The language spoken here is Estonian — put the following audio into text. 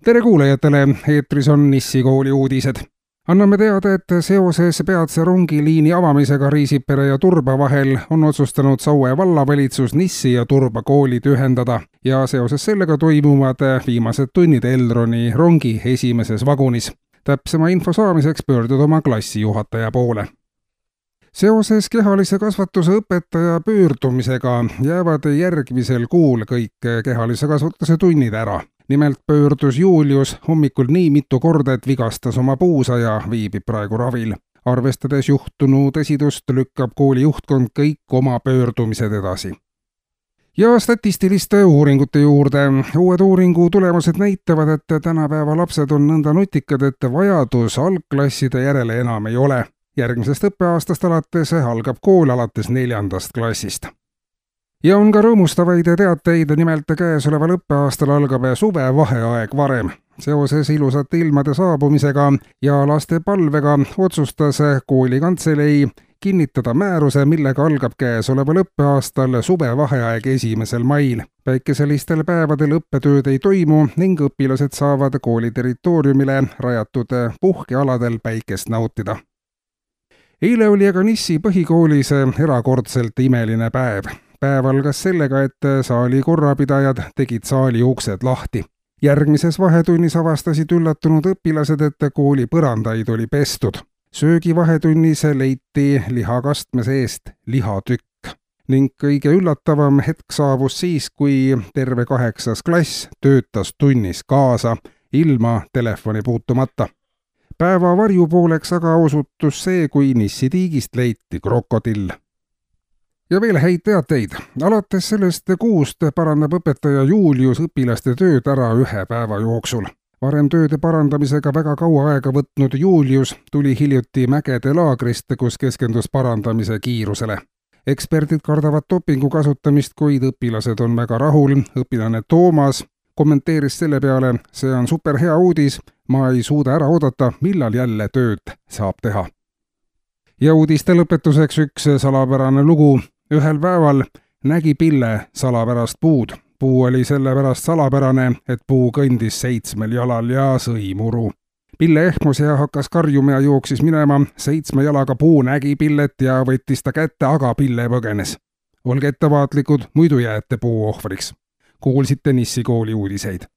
Tere kuulajatele, eetris on Nissi kooli uudised. Anname teada, et seoses peatse rongiliini avamisega Riisipere ja Turba vahel on otsustanud Saue vallavalitsus Nissi ja Turba koolid ühendada ja seoses sellega toimuvad viimased tunnid Elroni rongi esimeses vagunis. Täpsema info saamiseks pöördud oma klassijuhataja poole. Seoses kehalise kasvatuse õpetaja pöördumisega jäävad järgmisel kuul kõik kehalise kasvatuse tunnid ära. Nimelt pöördus Julius hommikul nii mitu korda, et vigastas oma puusa ja viibib praegu ravil. Arvestades juhtunu tõsidust lükkab kooli juhtkond kõik oma pöördumised edasi. Ja statistiliste uuringute juurde. Uued uuringu tulemused näitavad, et tänapäeva lapsed on nõnda nutikad, et vajadus algklasside järele enam ei ole. Järgmisest õppeaastast alates algab kool alates 4. klassist. Ja on ka rõõmustavaid teateid, nimelt käesoleval õppeaastal algab suvevaheaeg varem. Seoses ilusate ilmade saabumisega ja laste palvega otsustas koolikantselei kinnitada määruse, millega algab käesoleval õppeaastal suvevaheaeg 1. mail. Päikeselistel päevadel õppetööd ei toimu ning õpilased saavad kooli territooriumile rajatud puhkealadel päikest nautida. Eile oli aga Nissi põhikoolis erakordselt imeline päev. Päev algas sellega, et saali korrapidajad tegid saali uksed lahti. Järgmises vahetunnis avastasid üllatunud õpilased, et kooli põrandaid oli pestud. Söögivahetunnis leiti lihakastme seest lihatükk. Ning kõige üllatavam hetk saabus siis, kui terve 8. klass töötas tunnis kaasa, ilma telefoni puutumata. Päeva varjupooleks aga osutus see, kui Nissi tiigist leiti krokodill. Ja veel häid teateid. Alates sellest kuust parandab õpetaja Julius õpilaste tööd ära 1 päeva jooksul. Varem tööde parandamisega väga kaua aega võtnud Julius tuli hiljuti mägede laagrist, kus keskendus parandamise kiirusele. Eksperdid kardavad dopingu kasutamist, kuid õpilased on väga rahul. Õpilane Toomas kommenteeris selle peale: see on super hea uudis, ma ei suuda ära oodata, millal jälle tööd saab teha. Ja uudiste lõpetuseks üks salapärane lugu. Ühel päeval nägi Pille salapärast puud. Puu oli sellepärast salapärane, et puu kõndis 7 jalal ja sõi muru. Pille ehmus ja hakkas karjuma ja jooksis minema. 7 jalaga puu nägi Pillet ja võttis ta kätte, aga Pille põgenes. Olge ettevaatlikud, muidu jääte puu ohvriks. Kuulsite Nissi kooli uudiseid.